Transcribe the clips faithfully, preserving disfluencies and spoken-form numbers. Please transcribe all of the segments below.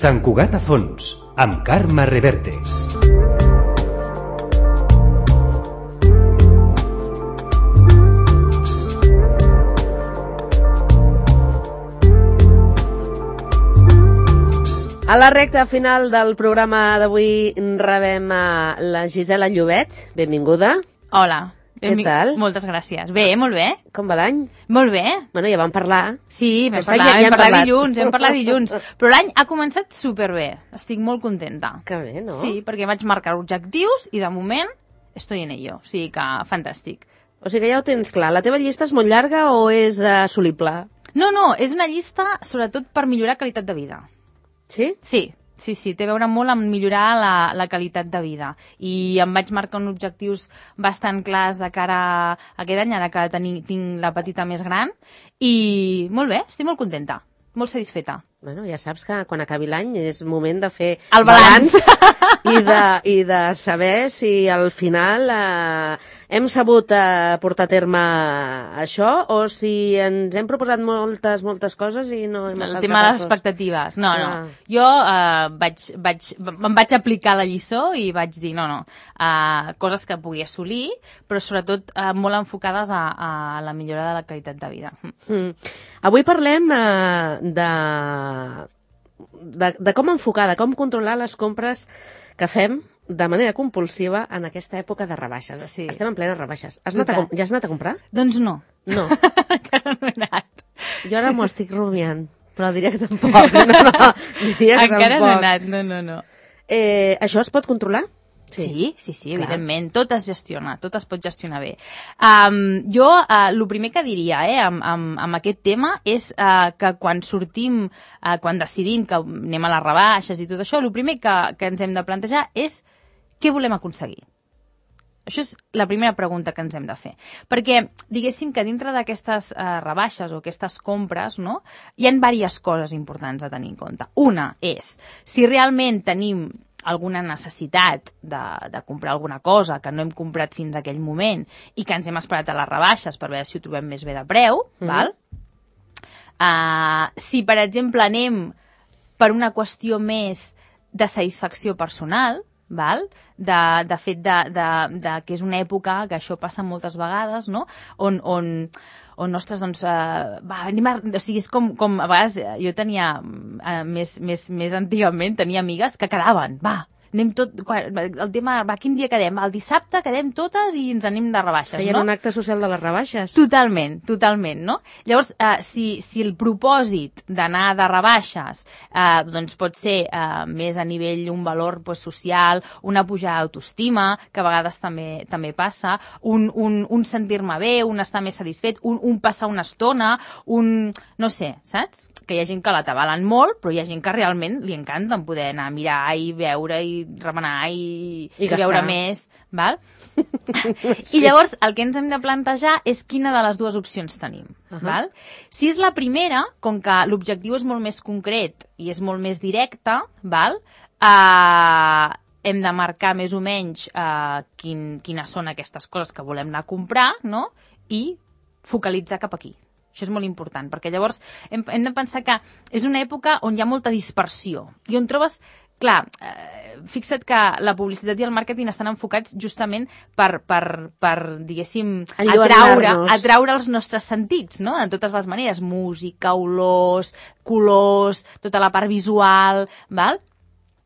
Sant Cugat a fons, amb Carme Reverte. A la recta final del programa d'avui rebem a la Gisela Llobet. Benvinguda. Hola. Què tal? Moltes gràcies. Bé, molt bé. Com va l'any? Molt bé. Bueno, ja vam parlar. Sí, vam Aquest parlar, any ja- ja vam hem parlar parlat. dilluns, vam parlar dilluns. Però l'any ha començat superbé. Estic molt contenta. Que bé, no? Sí, perquè vaig marcar objectius i de moment estoy en ello. O sigui que fantàstic. O sigui que ja ho tens clar. La teva llista és molt llarga o és uh, assolible? No, no, és una llista sobretot per millorar qualitat de vida. Sí? Sí, sí, sí, té a veure molt amb millorar la, la qualitat de vida. I em vaig marcar uns objectius bastant clars de cara a aquest any, ara que teni, tinc la petita més gran. I molt bé, estic molt contenta, molt satisfeta. Bueno, ja saps que quan acabi l'any és moment de fer El balanç. i, de, i de saber si al final eh, hem sabut eh, portar a terme això o si ens hem proposat moltes, moltes coses i no hem El estat tema de les capaços. expectatives. No, no. Ah. Jo eh, vaig, vaig, me'n vaig aplicar la lliçó i vaig dir, no, no, eh, coses que pugui assolir, però sobretot eh, molt enfocades a, a la millora de la qualitat de vida. Mm. Avui parlem eh, de, de, de com enfocar, de com controlar les compres que fem de manera compulsiva en aquesta època de rebaixes. Sí. Estem en plenes rebaixes. Has anat a, Total. com- ja has anat a comprar? Doncs no. No. Encara no he anat. Jo ara m'ho estic rumiant, però diria que tampoc. No, no, diria que Encara tampoc. no he anat, no, no, no. Eh, això es pot controlar? Sí, sí, sí, sí clar. evidentment. Tot es gestiona, tot es pot gestionar bé. Um, jo, uh, el primer que diria eh, amb, amb, amb aquest tema és uh, que quan sortim, uh, quan decidim que anem a les rebaixes i tot això, el primer que, que ens hem de plantejar és què volem aconseguir. Això és la primera pregunta que ens hem de fer. Perquè, diguéssim que dintre d'aquestes uh, rebaixes o aquestes compres, no, hi ha diverses coses importants a tenir en compte. Una és, si realment tenim alguna necessitat de, de comprar alguna cosa que no hem comprat fins a aquell moment i que ens hem esperat a les rebaixes per veure si ho trobem més bé de preu, mm. val? Uh, si, per exemple, anem per una qüestió més de satisfacció personal, val? De, de fet de, de, de que és una època que això passa moltes vegades, no? On, on, on ostres, doncs, uh, va, anem a, o sigui, és com, com a vegades jo tenia, uh, més, més, més antigament, tenia amigues que quedaven, va, anem tot, quan, el tema, va, quin dia quedem? El dissabte quedem totes i ens anem de rebaixes, Feien no? un acte social de les rebaixes. Totalment, totalment, no? Llavors, eh, si, si el propòsit d'anar de rebaixes eh, doncs pot ser eh, més a nivell un valor pues, social, una pujada d'autoestima, que a vegades també també passa, un, un, un sentir-me bé, un estar més satisfet, un, un passar una estona, un... no sé, saps? Que hi ha gent que la tabalen molt, però hi ha gent que realment li encanta poder anar a mirar i veure i remenar i, I i gastar. veure més, val? Sí. I llavors el que ens hem de plantejar és quina de les dues opcions tenim, uh -huh. val? Si és la primera, com que l'objectiu és molt més concret i és molt més directe, val? Uh, hem de marcar més o menys uh, quin, quines són aquestes coses que volem anar a comprar, no? I focalitzar cap aquí. Això és molt important, perquè llavors hem, hem de pensar que és una època on hi ha molta dispersió i on trobes, clar, eh, fixa't que la publicitat i el màrqueting estan enfocats justament per, per, per diguéssim, atraure, atraure els nostres sentits, no? De totes les maneres, música, olors, colors, tota la part visual, val?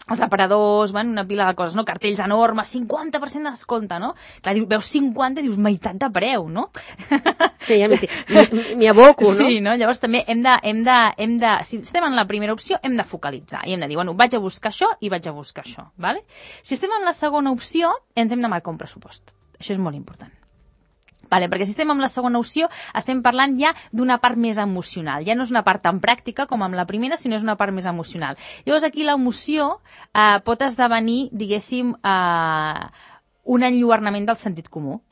Els aparadors, bueno, una pila de coses, no? Cartells enormes, cinquanta per cent de descompte, no? Clar, veus cinquanta i dius, meitat de preu, no? Sí, ja m'hi aboco, no? Sí, no? Llavors també hem de, hem de, hem de, si estem en la primera opció, hem de focalitzar i hem de dir, bueno, vaig a buscar això i vaig a buscar això, ¿vale? Si estem en la segona opció, ens hem de marcar un pressupost. Això és molt important. Vale, perquè si estem amb la segona opció estem parlant ja d'una part més emocional. Ja no és una part tan pràctica com amb la primera, sinó és una part més emocional. Llavors aquí l'emoció eh, pot esdevenir, diguéssim, eh, un enlluernament del sentit comú.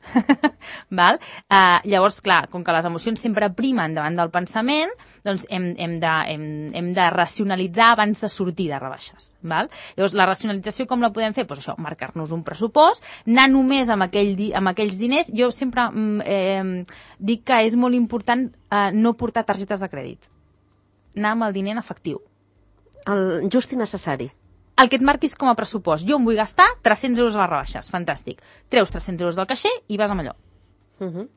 Val? Uh, llavors, clar, com que les emocions sempre primen davant del pensament, doncs hem, hem, de, hem, hem de racionalitzar abans de sortir de rebaixes. Val? Llavors, la racionalització com la podem fer? Pues això, marcar-nos un pressupost, anar només amb, aquell di amb aquells diners. Jo sempre eh, dic que és molt important eh, no portar targetes de crèdit. Anar amb el diner en efectiu. El just i necessari. El que et marquis com a pressupost. Jo em vull gastar tres-cents euros a les rebaixes. Fantàstic. Treus tres-cents euros del caixer i vas amb allò. Uh -huh.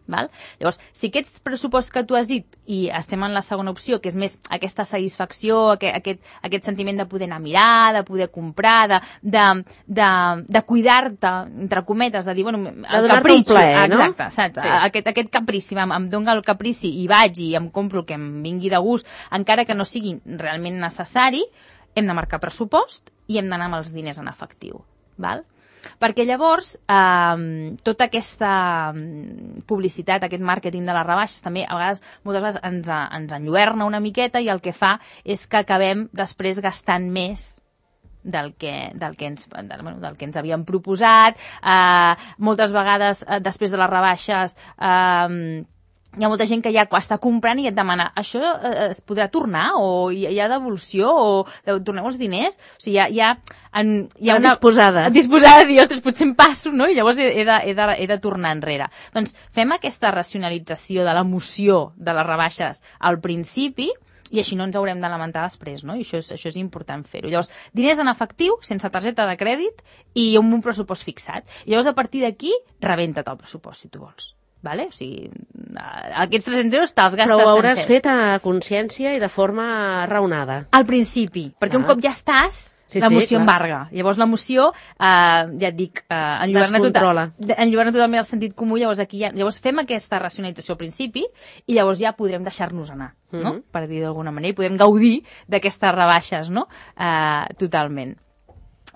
Val? Llavors, si aquests pressuposts que tu has dit, i estem en la segona opció, que és més aquesta satisfacció, aquest, aquest, aquest sentiment de poder anar a mirar, de poder comprar, de, de, de, de cuidar-te, entre cometes, de dir, bueno, el capritxo, un plaer, no? exacte, saps? Sí. Aquest, aquest caprici, em, em dona el caprici i vaig i em compro el que em vingui de gust, encara que no sigui realment necessari, hem de marcar pressupost i hem d'anar amb els diners en efectiu, val? Perquè llavors eh, tota aquesta publicitat, aquest màrqueting de les rebaixes també a vegades, moltes vegades ens, ens enlluerna una miqueta i el que fa és que acabem després gastant més del que, del que, ens, del, bueno, del que ens havíem proposat. Eh, moltes vegades eh, després de les rebaixes eh, hi ha molta gent que ja està comprant i et demana això eh, es podrà tornar o hi, hi ha devolució o torneu els diners? O sigui, hi ha, hi ha, en, hi ha una... Disposada. Disposada de dir, ostres, potser em passo, no? I llavors he, he, de, he, de, he de tornar enrere. Doncs fem aquesta racionalització de l'emoció de les rebaixes al principi i així no ens haurem de lamentar després, no? I això és, això és important fer-ho. Llavors, diners en efectiu, sense targeta de crèdit i amb un pressupost fixat. I llavors, a partir d'aquí, rebenta't el pressupost, si tu vols. Vale? O sigui, aquests tres-cents euros te'ls gastes Però ho hauràs sencers. fet a consciència i de forma raonada. Al principi, perquè ah. un cop ja estàs, sí, l'emoció sí, embarga. Llavors l'emoció, eh, ja et dic, eh, enlluerna, total, enlluerna totalment el sentit comú, llavors aquí ja, llavors fem aquesta racionalització al principi i llavors ja podrem deixar-nos anar, no? Mm-hmm. Per dir d'alguna manera, i podem gaudir d'aquestes rebaixes, no? Eh, totalment.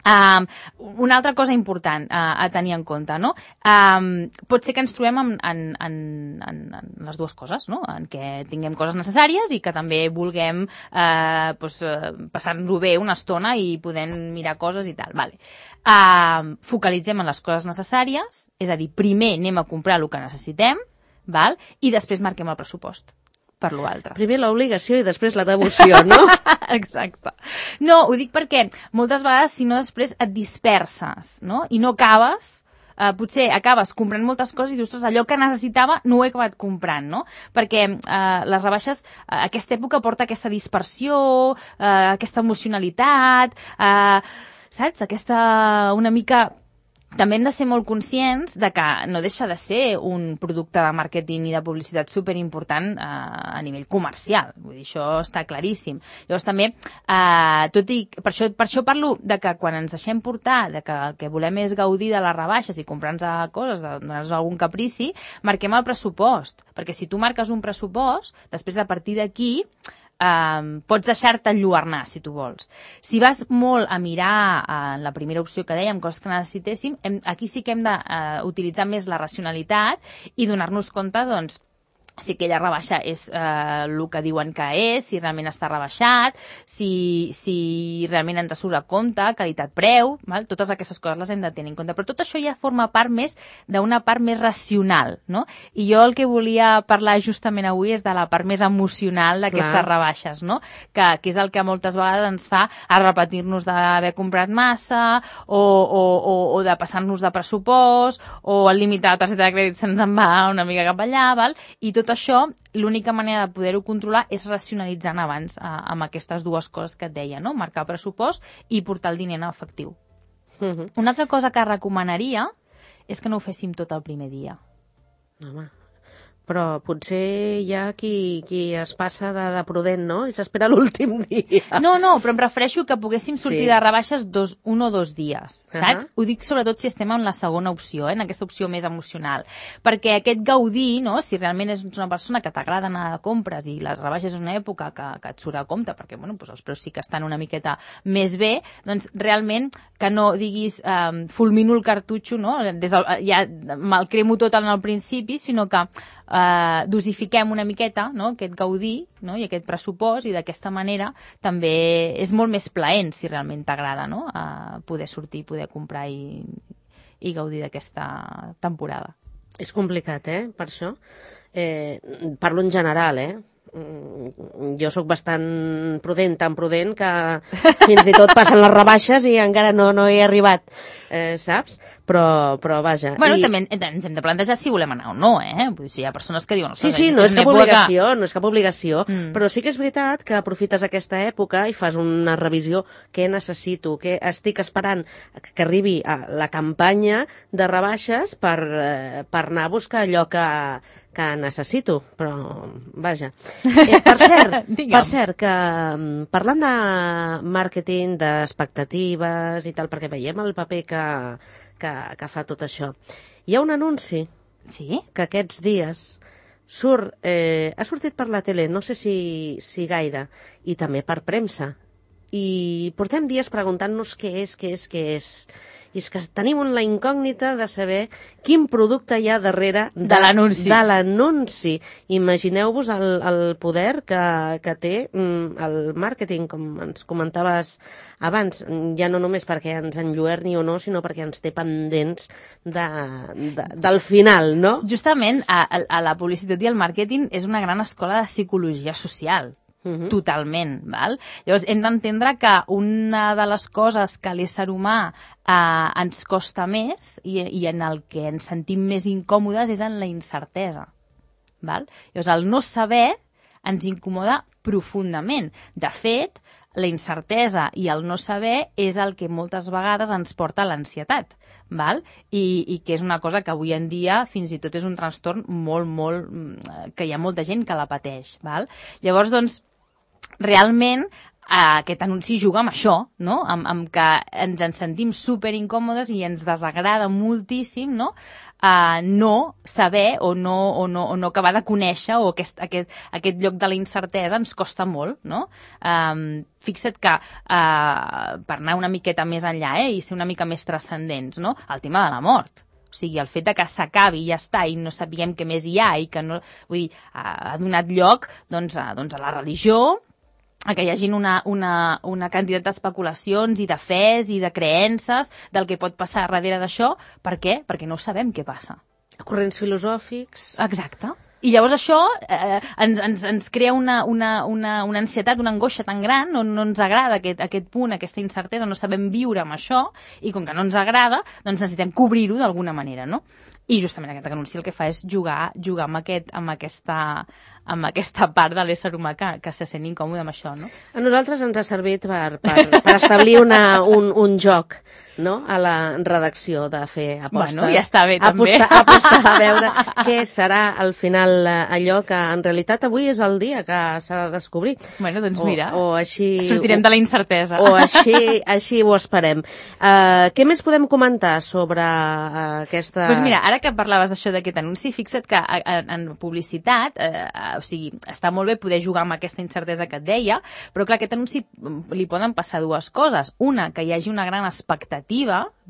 Um, una altra cosa important uh, a tenir en compte, no? Um, pot ser que ens trobem en, en, en, en, en les dues coses, no? En què tinguem coses necessàries i que també vulguem uh, pues, uh, passar-nos-ho bé una estona i podem mirar coses i tal. Vale. Uh, focalitzem en les coses necessàries, és a dir, primer anem a comprar el que necessitem, val? I després marquem el pressupost per l'altre. Primer l'obligació i després la devoció, no? Exacte. No, ho dic perquè moltes vegades, si no, després et disperses, no? I no acabes, eh, potser acabes comprant moltes coses i dius, ostres, allò que necessitava no ho he acabat comprant, no? Perquè eh, les rebaixes, eh, aquesta època porta aquesta dispersió, eh, aquesta emocionalitat, eh, saps? Aquesta, una mica... També hem de ser molt conscients de que no deixa de ser un producte de màrqueting i de publicitat superimportant eh, a nivell comercial. Vull dir, això està claríssim. Llavors també, eh, tot i, per, això, per això parlo de que quan ens deixem portar, de que el que volem és gaudir de les rebaixes i comprar-nos coses, de donar-nos algun caprici, marquem el pressupost. Perquè si tu marques un pressupost, després a partir d'aquí Um, pots deixar-te enlluernar, si tu vols. Si vas molt a mirar en uh, la primera opció que dèiem, coses que necessitéssim, hem, aquí sí que hem d'utilitzar uh, més la racionalitat i donar-nos compte, doncs, si aquella rebaixa és eh, el que diuen que és, si realment està rebaixat, si, si realment ens surt a compte, qualitat-preu, val? Totes aquestes coses les hem de tenir en compte. Però tot això ja forma part més d'una part més racional, no? I jo el que volia parlar justament avui és de la part més emocional d'aquestes rebaixes, no? Que, que és el que moltes vegades ens fa a repetir-nos d'haver comprat massa o, o, o, o de passar-nos de pressupost o el límit de la targeta de crèdit se'ns en va una mica cap allà, val? I tot això, l'única manera de poder-ho controlar és racionalitzant abans eh, amb aquestes dues coses que et deia, no? Marcar pressupost i portar el diner en efectiu. Uh-huh. Una altra cosa que recomanaria és que no ho féssim tot el primer dia. Home, però potser hi ha qui, qui es passa de, de prudent, no? I s'espera l'últim dia. No, no, però em refereixo que poguéssim sortir sí. de rebaixes dos, un o dos dies, saps? Uh-huh. Ho dic sobretot si estem en la segona opció, eh? En aquesta opció més emocional. Perquè aquest gaudir, no? Si realment és una persona que t'agrada anar de compres i les rebaixes és una època que, que et surt a compte, perquè bueno, doncs els preus sí que estan una miqueta més bé, doncs realment que no diguis eh, fulmino el cartutxo, no? Des del, ja me'l cremo tot en el principi, sinó que Uh, dosifiquem una miqueta, no? Aquest gaudir, no? I aquest pressupost, i d'aquesta manera també és molt més plaent si realment t'agrada, no? Uh, poder sortir, poder comprar i, i gaudir d'aquesta temporada. És complicat, eh? Per això. Eh, parlo en general, eh? jo sóc bastant prudent, tan prudent que fins i tot passen les rebaixes i encara no, no he arribat, eh, saps? Però, però vaja. Bueno, I... també ens hem de plantejar si volem anar o no, eh? Vull dir, si hi ha persones que diuen... Sí, sí, no és cap obligació, no és cap obligació, mm. però sí que és veritat que aprofites aquesta època i fas una revisió, què necessito, què estic esperant que arribi a la campanya de rebaixes per, eh, per anar a buscar allò que, que necessito, però vaja. Eh, per cert, per cert, que parlant de màrqueting, d'expectatives i tal, perquè veiem el paper que, que, que fa tot això, hi ha un anunci sí? que aquests dies surt, eh, ha sortit per la tele, no sé si, si gaire, i també per premsa, i portem dies preguntant-nos què és, què és, què és. I és que tenim la incògnita de saber quin producte hi ha darrere de, de l'anunci. De l'anunci. Imagineu-vos el, el poder que, que té mm, el màrqueting, com ens comentaves abans, ja no només perquè ens enlluerni o no, sinó perquè ens té pendents de, de, del final, no? Justament, a, a la publicitat i el màrqueting és una gran escola de psicologia social. Uh-huh. Totalment, val? Llavors hem d'entendre que una de les coses que a l'ésser humà eh, ens costa més i, i en el que ens sentim més incòmodes és en la incertesa, val? Llavors el no saber ens incomoda profundament. De fet, la incertesa i el no saber és el que moltes vegades ens porta a l'ansietat, val? I, i que és una cosa que avui en dia fins i tot és un trastorn molt, molt... que hi ha molta gent que la pateix, val? Llavors, doncs, realment eh, aquest anunci juga amb això, no? Amb, amb que ens en sentim super incòmodes i ens desagrada moltíssim, no? Uh, no saber o no, o, no, o no acabar de conèixer o aquest, aquest, aquest lloc de la incertesa ens costa molt, no? Um, fixa't que, uh, per anar una miqueta més enllà eh, i ser una mica més transcendents, no? El tema de la mort. O sigui, el fet de que s'acabi i ja està i no sabíem què més hi ha i que no... Vull dir, ha donat lloc doncs, a, doncs, a la religió, a que hi hagi una, una, una quantitat d'especulacions i de fes i de creences del que pot passar darrere d'això. Per què? Perquè no sabem què passa. Corrents filosòfics... Exacte. I llavors això eh, ens, ens, ens crea una, una, una, una ansietat, una angoixa tan gran, no, no ens agrada aquest, aquest punt, aquesta incertesa, no sabem viure amb això, i com que no ens agrada, doncs necessitem cobrir-ho d'alguna manera, no? I justament aquest anunci el que fa és jugar, jugar amb, aquest, amb, aquesta, amb aquesta part de l'ésser humà que, que se sent incòmode amb això, no? A nosaltres ens ha servit per, per, per establir una, un, un joc, no?, a la redacció de fer apostes. Bueno, ja està bé, també. Apostar, apostar a veure què serà al final allò que en realitat avui és el dia que s'ha de descobrir. Bueno, doncs o, mira, o així, sortirem o, de la incertesa. O així, així ho esperem. Uh, què més podem comentar sobre uh, aquesta... Doncs pues mira, ara que parlaves d'això d'aquest anunci, fixa't que en, en publicitat, eh, o sigui, està molt bé poder jugar amb aquesta incertesa que et deia, però clar, aquest anunci li poden passar dues coses. Una, que hi hagi una gran expectativa,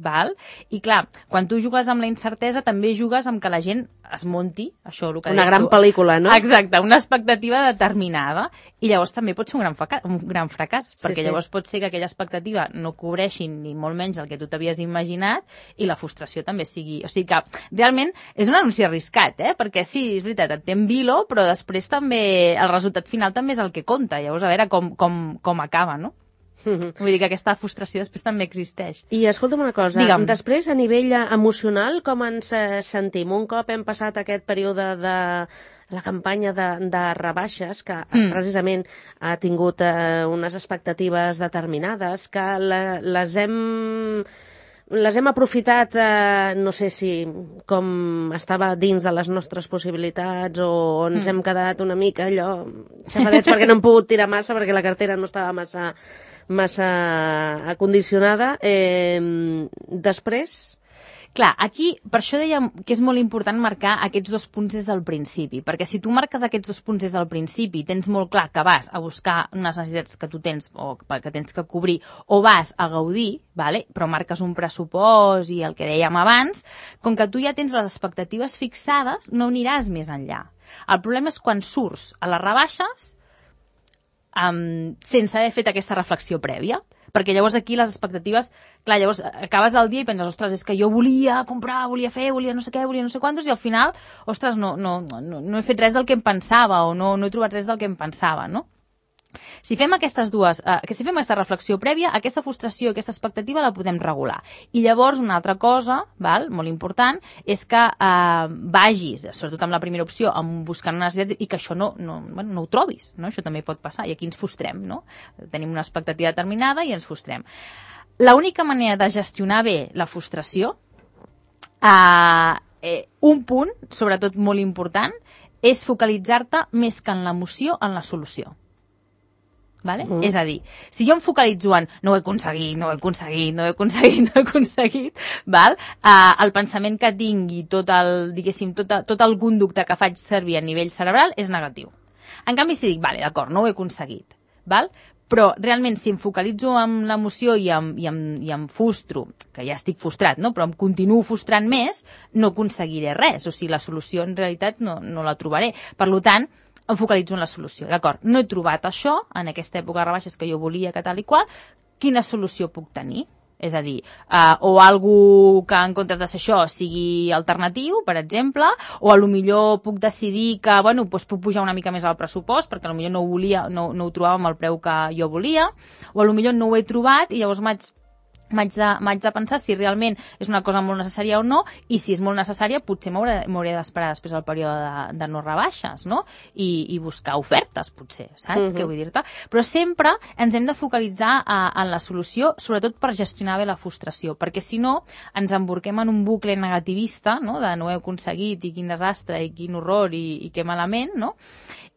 val? I clar, quan tu jugues amb la incertesa també jugues amb que la gent es munti, això el que una gran tu. pel·lícula, no? Exacte, una expectativa determinada, i llavors també pot ser un gran, fracàs, un gran fracàs, sí, perquè sí. llavors pot ser que aquella expectativa no cobreixi ni molt menys el que tu t'havies imaginat i la frustració també sigui... O sigui que realment és un anunci arriscat, eh? Perquè sí, és veritat, et té en vilo, però després també el resultat final també és el que compta, llavors a veure com, com, com acaba, no? Mm-hmm. Vull dir que aquesta frustració després també existeix. I escolta'm una cosa, Digue'm. Després a nivell emocional com ens eh, sentim? Un cop hem passat aquest període de la campanya de, de rebaixes que mm. precisament ha tingut eh, unes expectatives determinades que la, les hem... Les hem aprofitat, eh, no sé si com estava dins de les nostres possibilitats o ens mm. hem quedat una mica allò xafadets perquè no hem pogut tirar massa perquè la cartera no estava massa, massa acondicionada. Eh, després... Clar, aquí, per això dèiem que és molt important marcar aquests dos punts des del principi, perquè si tu marques aquests dos punts des del principi, tens molt clar que vas a buscar unes necessitats que tu tens o que tens que cobrir, o vas a gaudir, vale? Però marques un pressupost i el que dèiem abans, com que tu ja tens les expectatives fixades, no aniràs més enllà. El problema és quan surts a les rebaixes um, sense haver fet aquesta reflexió prèvia. perquè llavors aquí les expectatives, clar, llavors acabes el dia i penses, ostres, és que jo volia comprar, volia fer, volia no sé què, volia no sé quantos, i al final, ostres, no, no, no, no he fet res del que em pensava o no, no he trobat res del que em pensava, no? Si fem aquestes dues, eh, que si fem aquesta reflexió prèvia, aquesta frustració i aquesta expectativa la podem regular. I llavors una altra cosa, val, molt important, és que eh, vagis, sobretot amb la primera opció, amb buscant una necessitat i que això no, no, bueno, no ho trobis, no? Això també pot passar i aquí ens frustrem, no? Tenim una expectativa determinada i ens frustrem. L'única manera de gestionar bé la frustració, eh, eh, un punt, sobretot molt important, és focalitzar-te més que en l'emoció, en la solució. Vale? Mm. És a dir, si jo em focalitzo en no ho he aconseguit, no ho he aconseguit, no ho he aconseguit, no ho he aconseguit, val? Uh, el pensament que tingui, tot el, diguéssim, tot, tot el conducte que faig servir a nivell cerebral és negatiu. En canvi, si dic, vale, d'acord, no ho he aconseguit, val? Però realment si em focalitzo en l'emoció i em, i, em, i em frustro, que ja estic frustrat, no? Però em continuo frustrant més, no aconseguiré res. O sigui, la solució en realitat no, no la trobaré. Per tant, em focalitzo en la solució. D'acord, no he trobat això en aquesta època de rebaixes que jo volia, que tal i qual, quina solució puc tenir? És a dir, uh, o algú que en comptes de ser això sigui alternatiu, per exemple, o a lo millor puc decidir que, bueno, doncs puc pujar una mica més al pressupost, perquè a lo millor no ho volia, no, no ho trobava amb el preu que jo volia, o a lo millor no ho he trobat i llavors m'haig m'haig de, m'haig de pensar si realment és una cosa molt necessària o no, i si és molt necessària potser m'hauré d'esperar després del període de, de no rebaixes, no? I, i buscar ofertes, potser, saps? Uh-huh. Què vull dir-te? Però sempre ens hem de focalitzar a, en la solució, sobretot per gestionar bé la frustració, perquè si no ens emborquem en un bucle negativista, no? De no ho he aconseguit i quin desastre i quin horror i, i que malament, no?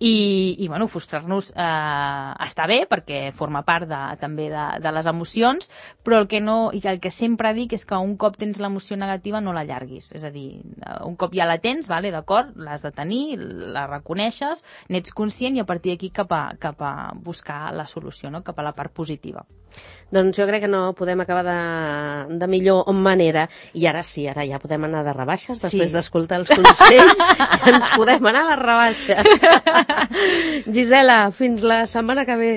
I, i bueno, frustrar-nos eh, està bé perquè forma part de, també de, de les emocions, però el que no, i el que sempre dic és que un cop tens l'emoció negativa no l'allarguis, és a dir, un cop ja la tens, vale, d'acord, l'has de tenir, la reconeixes, n'ets conscient i a partir d'aquí cap, a, cap a buscar la solució, no? Cap a la part positiva. Doncs jo crec que no podem acabar de, de millor manera. I ara sí, ara ja podem anar de rebaixes, després sí. d'escoltar els consells, ja ens podem anar a les rebaixes. Gisela, fins la setmana que ve.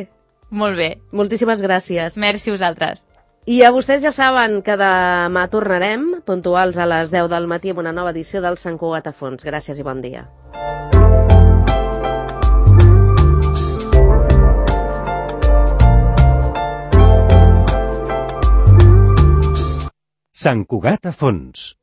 Molt bé. Moltíssimes gràcies. Merci a vosaltres. I a vostès ja saben que demà tornarem, puntuals a les deu del matí, amb una nova edició del Sant Cugat a fons. Gràcies i bon dia. Sant Cugat a fons.